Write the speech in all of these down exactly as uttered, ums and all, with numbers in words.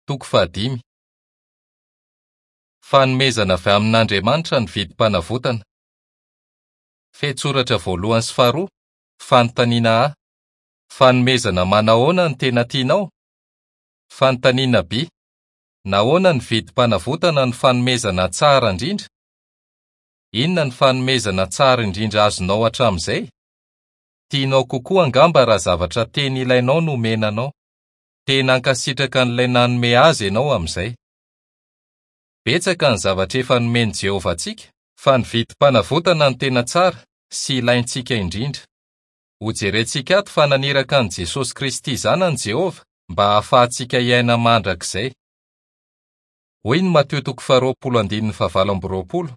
Toko fahadimy. Fanomezana avy amin'Andriamanitra ny vidim-panavotana. Fehintsoratra voalohany sy faharoa, fanontaniana A. Fanomezana manahoana no tena tianao? Fanontaniana B. Nahoana ny vidim-panavotana no fanomezana tsara indrindra? Inona ny fanomezana tsara indrindra azonao hatramin'izay? Tianao kokoa angamba raha zavatra tena ilainao no omena anao. Tena ankasitraka an'ilay nanome azy ianao amin'izay. Betsaka ny zavatra efa nomen'i Jehovah antsika, fa ny vidim-panavotana no tena tsara sy ilaintsika indrindra. Hojerentsika ato fa naniraka an'i Jesosy Kristy zanany Jehovah mba hahafahantsika hiaina mandrakizay. Hoy ny Matio toko faharoapolo andininy fahavalo amby roapolo.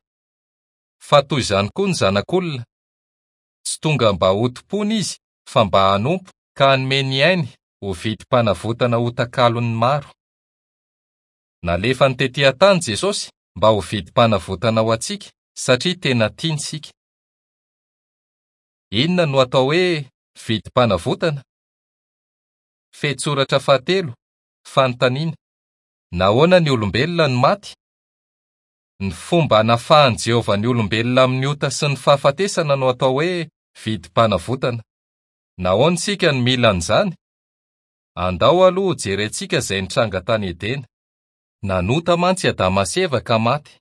Fa toy izany koa ny zanak'olona. Tsy tonga mba hotompoina izy fa mba hanompo ka hanome ny ainy ho vidim-panavotana ho takalon'ny maro. Nalefany tetỳ an-tany Jesosy mba ho vidim-panavotana ho antsika satria tena tiany isika. Inona no atao hoe vidim-panavotana? Fehintsoratra fahatelo, fanontaniana. Nahoana ny olombelona no maty? Ny fomba hanafahan'i Jehovah ny olombelona amin'ny ota sy ny fahafatesana no atao hoe vidim-panavotana. Nahoana isika no mila an'izany? Andao aloha hojerentsika izay nitranga tany Edena. Nanota mantsy Adama sy Eva ka maty.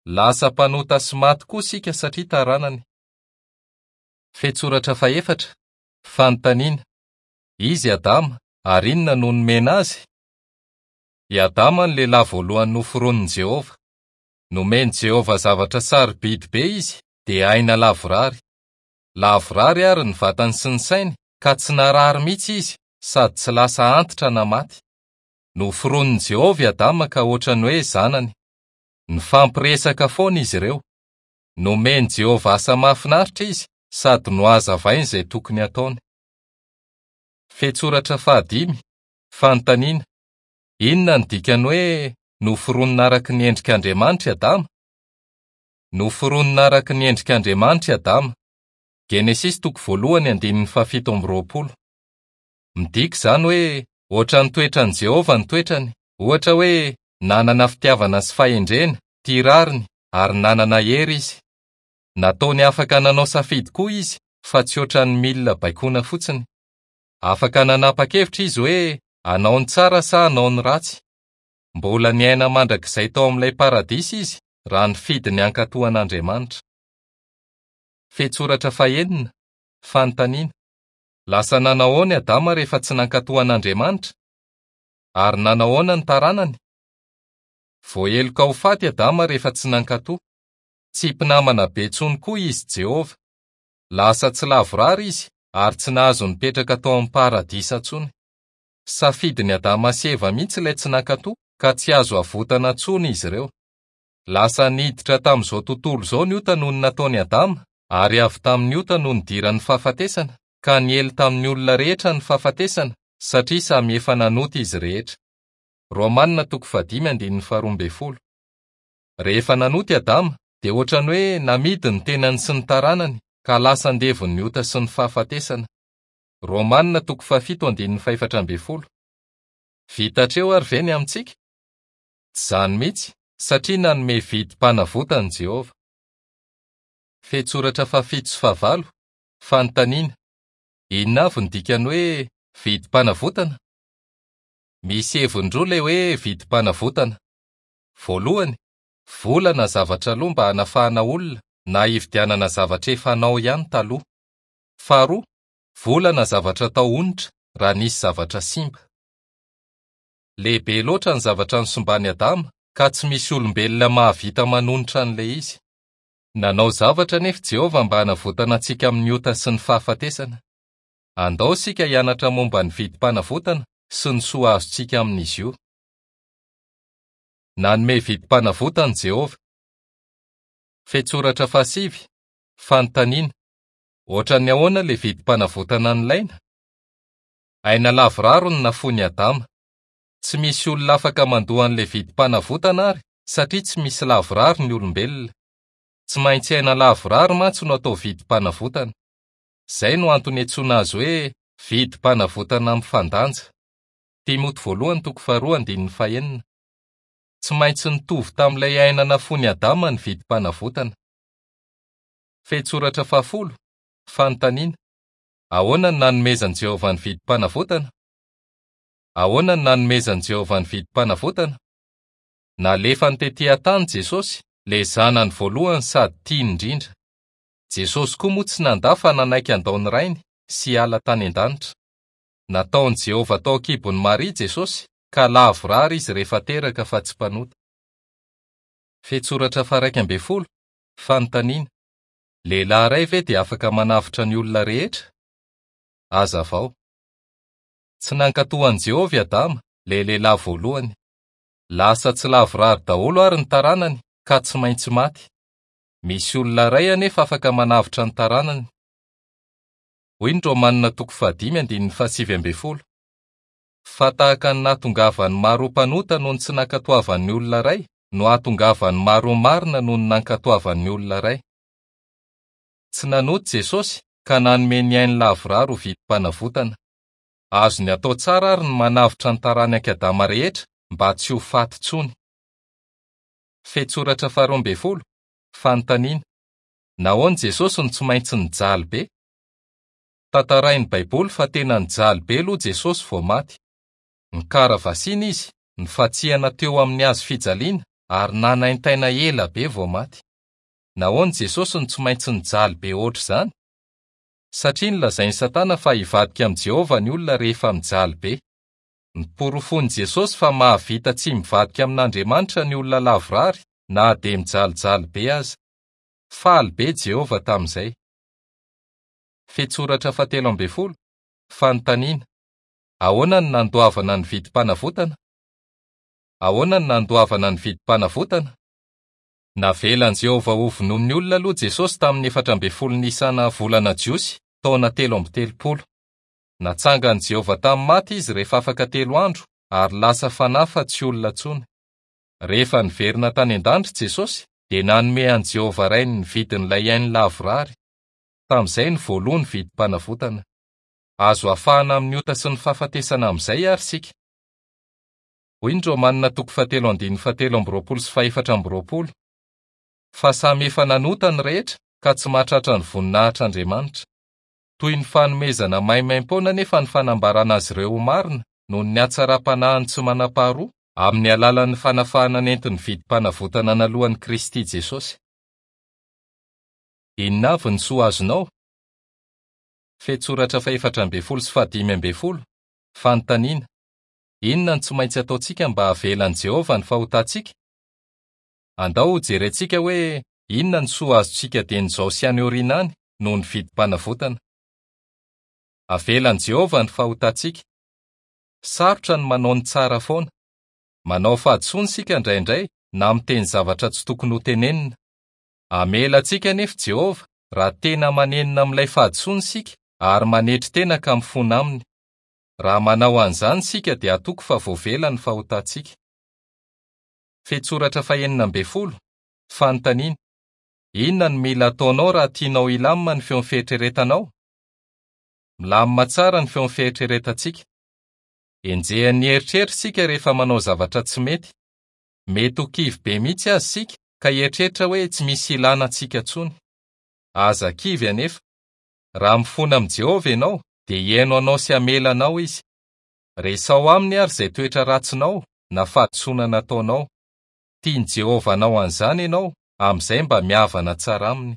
Lasa mpanota sy maty koa isika satria taranany. Fehintsoratra fahefatra, fanontaniana. Izy Adama, ary inona no nomena azy? I Adama no lehilahy voalohany noforonin'i Jehovah. Nomen'i Jehovah zavatra sarobidy be izy, dia aina lavorary. Lavorary ary ny vatany sy ny sainy, ka tsy narary mihitsy izy sady tsy lasa antitra na maty. Noforonin'i Jehovah i Adama ka ohatran'ny hoe zanany. Nifampiresaka foana izy ireo. Nomen'i Jehovah asa mahafinaritra izy sady nohazavainy izay tokony hataony. Fehintsoratra fahadimy, fanontaniana. Inona no dikany hoe noforonina araka ny endrik'Andriamanitra i Adama? Noforonina araka ny endrik'Andriamanitra i Adama. Genesisy toko voalohany andininy fahafito amby roapolo. Midika izany hoe ohatran'ny toetran'i Jehovah ny toetrany, ohatra hoe nanana fitiavana sy fahendrena, tia rariny ary nanana hery izy. Nataony afaka nanao safidy koa izy fa tsy ohatran'ny milina baikoana fotsiny. Afaka nanapa-kevitra izy hoe hanao ny tsara sa hanao ny ratsy. Mbola niaina mandrakizay tao amin'ilay paradisa izy raha nifidy ny hankatò an'Andriamanitra. Fehintsoratra fahenina, fanontaniana. Lasa nanao ahoana i Adama rehefa tsy nankatò an'Andriamanitra? Ary nanao ahoana ny taranany? Voaheloka ho faty Adama rehefa tsy nankatò. Tsy mpinamana be intsony koa izy Jehovah. Lasa tsy lavorary izy ary tsy nahazo nipetraka tao amin'ny paradisa intsony. Safidin'i Adama sy Eva mihitsy ilay tsy nankatò ka tsy azo avotana intsony izy ireo. Lasa niditra tamin'izao tontolo izao ny ota noho ny nataon'i Adama, ary avy tamin'ny ota no nidiran'ny fahafatesana, ka niely tamin'ny olona rehetra ny fahafatesana satria samy efa nanota izy rehetra. Romanina toko fahadimy andininy faharoa ambin'ny folo. Rehefa nanota i Adama dia ohatran'ny hoe namidy ny tenany sy ny taranany ka lasa andevon'ny ota sy ny fahafatesana. Romanina toko fahafito andininy fahefatra ambin'ny folo. Vita hatreo ary ve ny amintsika? Tsy izany mihitsy, satria nanome vidim-panavotana Jehovah. Fehintsoratra fahafito sy fahavalo, fanontaniana. Inona avy ny dikany hoe vidim-panavotana? Misy heviny roa ilay hoe vidim-panavotana. Voalohany, vola na zavatra aloha mba hanafahana olona na hividianana zavatra efa anao ihany taloha. Faharoa, vola na zavatra atao onitra raha nisy zavatra simba. Lehibe loatra ny zavatra nosimban'i Adama ka tsy misy olombelona mahavita manonitra an'ilay izy. Nanao zavatra anefa Jehovah mba hanavotana antsika amin'ny ota sy ny fahafatesana. Andao isika hianatra momba ny vidim-panavotana sy ny soa azontsika amin'izy io. Nanome vidim-panavotana Jehovah. Fehintsoratra fahasivy, fanontaniana. Ohatran'ny ahoana ilay vidim-panavotana nilaina? Aina lavorary no nafoin'i Adama. Tsy misy olona afaka mandoa an'ilay vidim-panavotana ary satria tsy misy lavorary ny olombelona. Tsy maintsy aina lavorary mantsy no atao vidim-panavotana. Izay no antony iantsoana azy hoe vidim-panavotana mifandanja. Timoty voalohany toko faharoa andininy fahenina. Tsy maintsy nitovy tamin'ilay aina nafoin'i Adama ny vidim-panavotana. Fehintsoratra fahafolo. Fanontaniana: ahoana no nanomezan'i Jehovah ny vidim-panavotana? Ahoana no nanomezan'i Jehovah ny vidim-panavotana? Nalefany tetỳ an-tany Jesosy, ilay zanany voalohany sady tiany indrindra. Jesosy koa moa tsy nandà fa nanaiky handao ny Rainy sy hiala tany an-danitra. Nataon'i Jehovah tao an-kibon'i Maria Jesosy ka lavorary izy rehefa teraka fa tsy mpanota. Fehintsoratra faha-iraika ambin'ny folo. Fanontaniana: lehilahy iray ve dia afaka manavotra ny olona rehetra? Hazavao. Tsy nankatò an'i Jehovah i Adama, ilay lehilahy voalohany. Lasa tsy lavorary daholo ary ny taranany ka tsy maintsy maty. Misy olona iray anefa afaka manavotra ny taranany. Hoy ny Romanina toko fahadimy andininy fahasivy ambin'ny folo. Fa tahaka ny nahatongavan'ny maro ho mpanota noho ny tsy nankatoavan'ny olona iray no hahatongavan'ny maro ho marina noho ny nankatoavan'ny olona iray. Tsy nanota Jesosy ka nanome ny ainy lavorary ho vidim-panavotana. Azony atao tsara ary ny manavotra ny taranak'i Adama rehetra mba tsy ho faty intsony. Fehintsoratra faharoa ambin'ny folo. Fanontaniana: nahoana Jesosy no tsy maintsy nijaly be? Tantarain'ny Baiboly fa tena nijaly be aloha Jesosy vao maty. Nikaravasiana izy, nifantsihana teo amin'ny hazo fijaliana ary nanaintaina ela be vao maty. Nahoana Jesosy no tsy maintsy nijaly be ohatr'izany? Satria nolazain'i Satana fa hivadika amin'i Jehovah ny olona rehefa mijaly be. Niporofoin'i Jesosy fa mahavita tsy mivadika amin'Andriamanitra ny olona lavorary na dia mijalijaly be aza. Faly be Jehovah tamin'izay. Fehintsoratra fahatelo ambin'ny folo. Fanontaniana: ahoana no nandoavana ny vidim-panavotana? Ahoana no nandoavana ny vidim-panavotana? Navelan'i Jehovah ho vonoin'ny olona aloha Jesosy tamin'ny efatra ambin'ny folo Nisana volana Jiosy, taona telo amby telopolo. Natsangan'i Jehovah tamin'ny maty izy rehefa afaka telo andro ary lasa fanahy fa tsy olona intsony. Rehefa niverina tany an-danitra Jesosy dia nanome an'i Jehovah Rainy ny vidin'ilay ainy lavorary. Tamin'izay no voaloha ny vidim-panavotana. Azo afahana amin'ny ota sy ny fahafatesana amin'izay ary isika. Hoy ny Romanina toko fahatelo andininy fahatelo amby roapolo sy fahefatra amby roapolo. Fa samy efa nanota ny rehetra ka tsy mahatratra ny voninahitr'Andriamanitra. Toy ny fanomezana maimaim-poana nefa ny fanambarana azy ireo ho marina noho ny hatsaram-panahiny tsy manam-paharoa amin'ny alalan'ny fanafahana nentin'ny vidim-panavotana naloan'i Kristy Jesosy. Inona avy ny soa azonao? Fehintsoratra fahefatra ambin'ny folo sy fahadimy ambin'ny folo. Fanontaniana: inona no tsy maintsy ataontsika mba havelan'i Jehovah ny fahotantsika? Andao hojerentsika hoe inona ny soa azontsika dieny izao sy any aoriana any noho ny vidim-panavotana. Avelan'i Jehovah ny fahotantsika. Sarotra ny manao ny tsara foana. Manao fahadisoana isika indraindray na miteny zavatra tsy tokony ho tenenina. Hamela antsika anefa Jehovah raha tena manenina amin'ilay fahadisoana isika ary manetry tena ka mifona aminy. Raha manao an'izany isika dia atoko fa voavela ny fahotantsika. Fehintsoratra fahenina ambin'ny folo. Fanontaniana: inona no mila ataonao raha tianao hilamina ny feon'ny fieritreretanao? Milamina tsara ny feon'ny fieritreretantsika. Enjehan'ny eritreritra isika rehefa manao zavatra tsy mety. Mety ho kivy be mihitsy aza isika ka hieritreritra hoe tsy misy ilana antsika intsony. Aza kivy anefa. Raha mifona amin'i Jehovah ianao dia hihaino anao sy hamela anao izy. Resaho aminy ary izay toetra ratsinao na fahadisoana nataonao. Tian'i Jehovah hanao an'izany ianao amin'izay mba mihavana tsara aminy.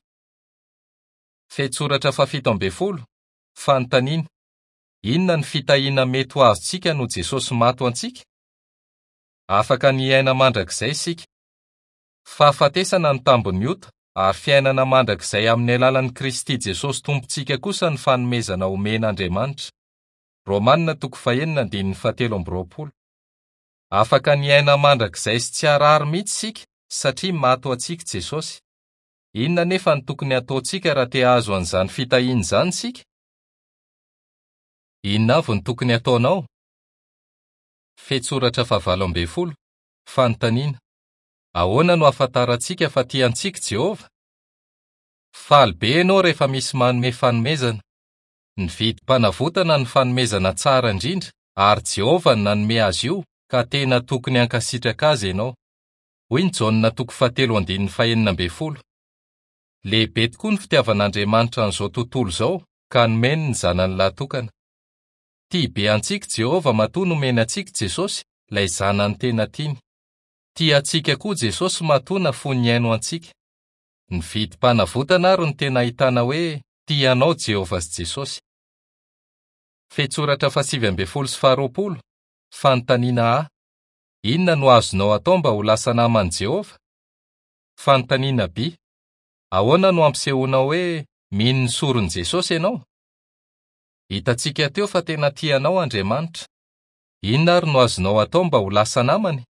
Fehintsoratra fahafito ambin'ny folo. Fanontaniana: inona ny fitahiana mety ho azontsika noho Jesosy maty ho antsika? Afaka ny hiaina mandrakizay isika. Fahafatesana ny tambin'ny ota ary fiainana mandrakizay amin'ny alalan'i Kristy Jesosy Tompontsika kosa ny fanomezana omen'Andriamanitra. Romanina toko fahenina andininy fahatelo amby roapolo. Afaka ny hiaina mandrakizay sy tsy harary mihitsy isika satria maty ho antsika Jesosy. Inona nefa no tokony hataontsika raha te hahazo an'izany fitahiana izany isika? Inona avy no tokony hataonao? Fehintsoratra fahavalo ambin'ny folo. Fanontaniana: ahoana no ahafantarantsika fa tia antsika Jehovah? Faly be ianao rehefa misy manome fanomezana. Ny vidim-panavotana ny fanomezana tsara indrindra Ary Jehovah no nanome azy io ka tena tokony hankasitraka azy ianao. Hoy ny Jaona toko fahatelo andininy fahenina ambin'ny folo. Lehibe tokoa ny fitiavan'Andriamanitra an'izao tontolo izao ka nomeny ny zanany lahy-tokana. Tia be antsika Jehovah matoa nomeny antsika Jesosy, ilay zanany tena tiany. Tia antsika koa Jesosy matoa nafoiny haino antsika. Ny vidim-panavotana ary no tena ahitana hoe tia anao Jehovah sy Jesosy. Fehintsoratra fahasivy ambin'ny folo sy faharoapolo, fanontaniana A. Inona no azonao atao mba ho lasa naman'i Jehovah? Fanontaniana B. Ahoana no ampisehoanao hoe mino ny soron'i Jesosy ianao? Hitantsika teo fa tena tia anao Andriamanitra. Inona ary no azonao atao mba ho lasa namany?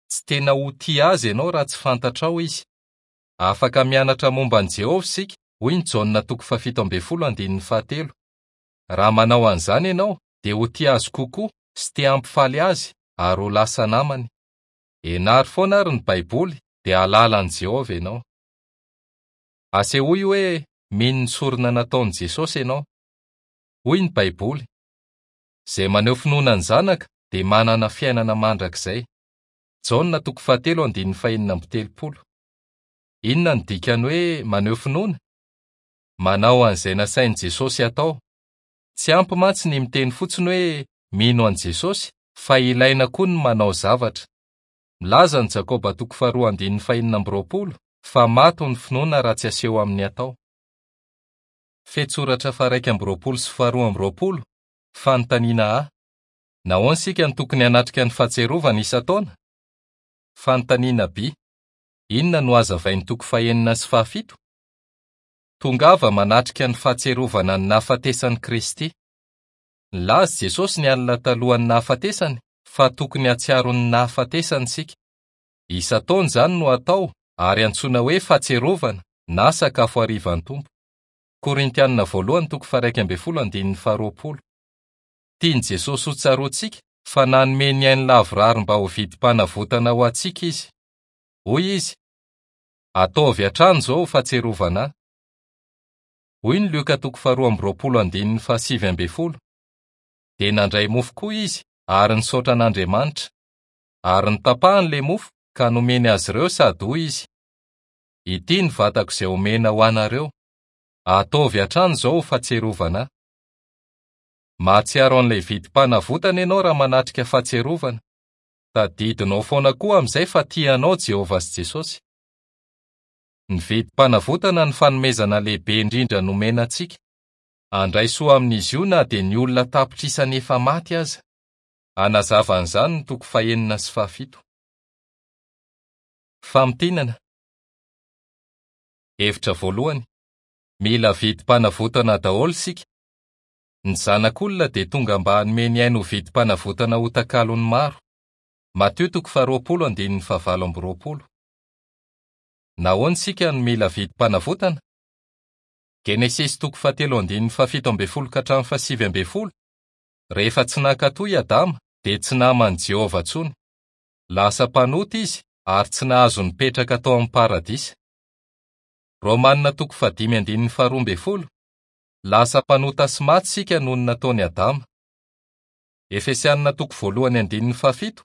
Tsy tena ho tia azy ianao raha tsy fantatrao izy. Afaka mianatra momba an'i Jehovah isika, hoy ny Jaona toko fahafito ambin'ny folo andininy fahatelo. Raha manao an'izany ianao, dia ho tia azy kokoa sy te hampifaly azy ary ho lasa namany. Ianaro foana ary ny Baiboly, dia hahalala an'i Jehovah ianao. Asehoy hoe mino ny sorona nataon'i Jesosy ianao. Hoy ny Baiboly: Izay maneho finoana ny Zanaka dia manana fiainana mandrakizay. Jaona toko fahatelo andininy fahenina amby telopolo. Inona no dikany hoe maneho finoana? Manao an'izay nasain'i Jesosy atao. Tsy ampy mantsy ny miteny fotsiny hoe mino an'i Jesosy, fa ilaina koa ny manao zavatra. Milaza ny Jakoba toko faharoa andininy fahenina amby roapolo fa maty ny finoana raha tsy aseho amin'ny atao. Fehintsoratra faha-iraika amby roapolo sy faharoa amby roapolo, fanontaniana A. Nahoana isika no tokony hanatrika ny fahatsiarovana isan-taona? Fanontaniana B. Inona no hazavain'ny toko fahenina sy fahafito? Tongava manatrika ny fahatsiarovana ny nahafatesan'i Kristy. Nilaza Jesosy ny alina talohan'ny nahafatesany fa tokony hahatsiaro ny nahafatesany isika. Isan-taona izany no atao ary antsoina hoe fahatsiarovana na sakafo harivan'ny Tompo. Korintianina voalohany toko faha-iraika ambin'ny folo andininy faharoapolo. Tian'i Jesosy ho tsaroantsika fa nanome ny ainy lavorary mba ho vidim-panavotana ho antsika izy. Hoy izy: Ataovy hatrany izao ho fahatsiarovana ahy. Hoy ny Lioka toko faharoa amby roapolo andininy fahasivy ambin'ny folo. Dia nandray mofo koa izy ary nisaotra an'Andriamanitra. Ary notapahany ilay mofo ka nomeny azy ireo sady hoy izy: Ity ny vatako izay omena ho anareo. Ataovy hatrany izao ho fahatsiarovana ahy. Mahatsiaro an'ilay vidim-panavotana ianao raha manatrika fahatsiarovana. Tadidinao foana koa amin'izay fa tia anao Jehovah sy Jesosy. Ny vidim-panavotana ny fanomezana lehibe indrindra nomena antsika. Handray soa amin'izy io na dia ny olona tapitrisany efa maty aza. Hanazava an'izany ny toko fahenina sy fahafito. Famintinana. Hevitra voalohany. Mila vidim-panavotana daholo isika. Ny zanak'olona dia tonga mba hanome ny ainy ho vidim-panavotana ho takalon'ny maro. Matio toko faharoapolo andininy fahavalo amby roapolo. Nahoana isika no mila vidim-panavotana? Genesisy toko fahatelo andininy fahafito ambin'ny folo ka hatramin'ny fahasivy ambin'ny folo. Rehefa tsy nankatò i Adama dia tsy naman'i Jehovah intsony. Lasa mpanota izy ary tsy nahazo nipetraka tao amin'ny paradisa. Romanina toko fahadimy andininy faharoa ambin'ny folo. Lasa mpanota sy maty isika noho ny nataon'i Adama. Efesianina toko voalohany andininy fahafito.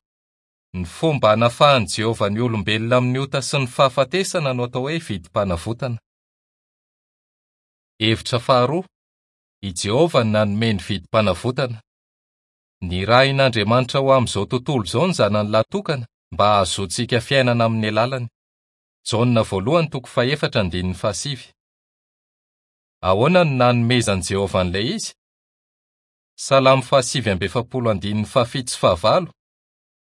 Ny fomba hanafahan'i Jehovah ny olombelona amin'ny ota sy ny fahafatesana no atao hoe vidim-panavotana. Hevitra faharoa. I Jehovah no nanome ny vidim-panavotana. Nirahin'Andriamanitra ho amin'izao tontolo izao ny zanany lahy-tokana mba hahazoantsika fiainana amin'ny alalany. Jaona voalohany toko fahefatra andininy fahasivy. Ahoana no nanomezan'i Jehovah an'ilay izy? Salamo fahasivy amby efapolo andininy fahafito sy fahavalo.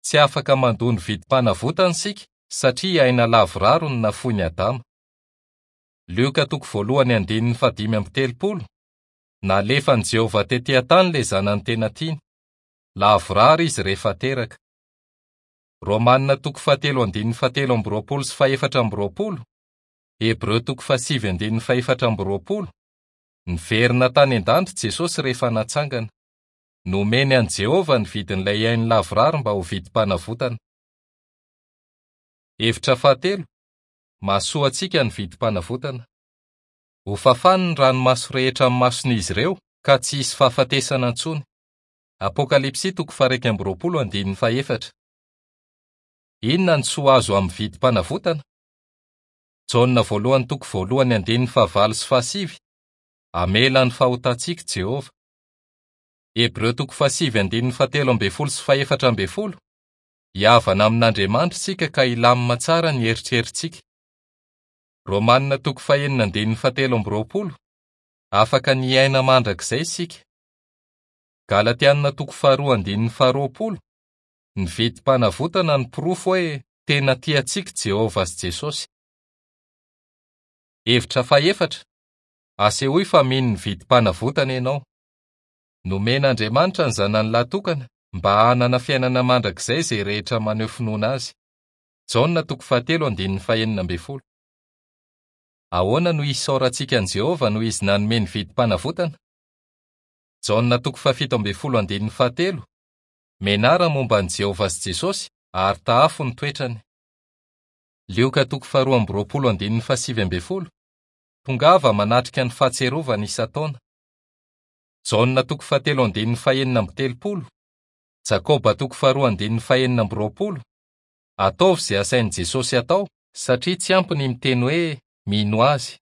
Tsy afaka mandoa ny vidim-panavotana isika satria aina lavorary no nafoin'i Adama. Lioka toko voalohany andininy fahadimy amby telopolo. Nalefan'i Jehovah tetỳ an-tany ilay zanany tena tiany. Lavorary izy rehefa teraka. Romanina toko fahatelo andininy fahatelo amby roapolo sy fahefatra amby roapolo. Hebreo toko fahasivy andininy fahefatra amby roapolo. Niverina tany an-danitra Jesosy rehefa natsangana. Nomeny an'i Jehovah ny vidin'ilay ainy lavorary mba ho vidim-panavotana. Hevitra fahatelo. Mahasoa antsika ny vidim-panavotana. Ho fafany ny ranomaso rehetra amin'ny mason'izy ireo ka tsy hisy fahafatesana intsony. Apokalypsy toko faha-iraika amby roapolo andininy fahefatra. Inona ny soa azo amin'ny vidim-panavotana? Jaona voalohany toko voalohany andininy fahavalo sy fahasivy. Hamela ny fahotantsika Jehovah. Hebreo toko fahasivy andininy fahatelo ambin'ny folo sy fahefatra ambin'ny folo. Hihavana amin'Andriamanitra isika ka hilamina tsara ny eritreritsika. Romanina toko fahenina andininy fahatelo amby roapolo. Afaka ny hiaina mandrakizay isika. Galatianina toko faharoa andininy faharoapolo. Ny vidim-panavotana ny porofo hoe tena tia antsika Jehovah sy Jesosy. Hevitra fahefatra. Asehoy fa mino ny vidim-panavotana ianao. Nomen'Andriamanitra ny zanany lahy tokana mba hanana fiainana mandrakizay izay rehetra maneho finoana azy. Jaona toko fahatelo andininy fahenina ambin'ny folo. Ahoana no isaorantsika an'i Jehovah noho izy nanome ny vidim-panavotana? Jaona toko fahafito ambin'ny folo andininy fahatelo. Mianara momba an'i Jehovah sy Jesosy ary tahafo ny toetrany. Lioka toko faharoa amby roapolo andininy fahasivy ambin'ny folo. Tongava manatrika ny fahatsiarovana isan-taona. Jaona toko fahatelo andininy fahenina amby telopolo. Jakoba toko faharoa andininy fahenina amby roapolo. Ataovy izay asain'i Jesosy atao satria tsy ampy ny miteny hoe mino azy.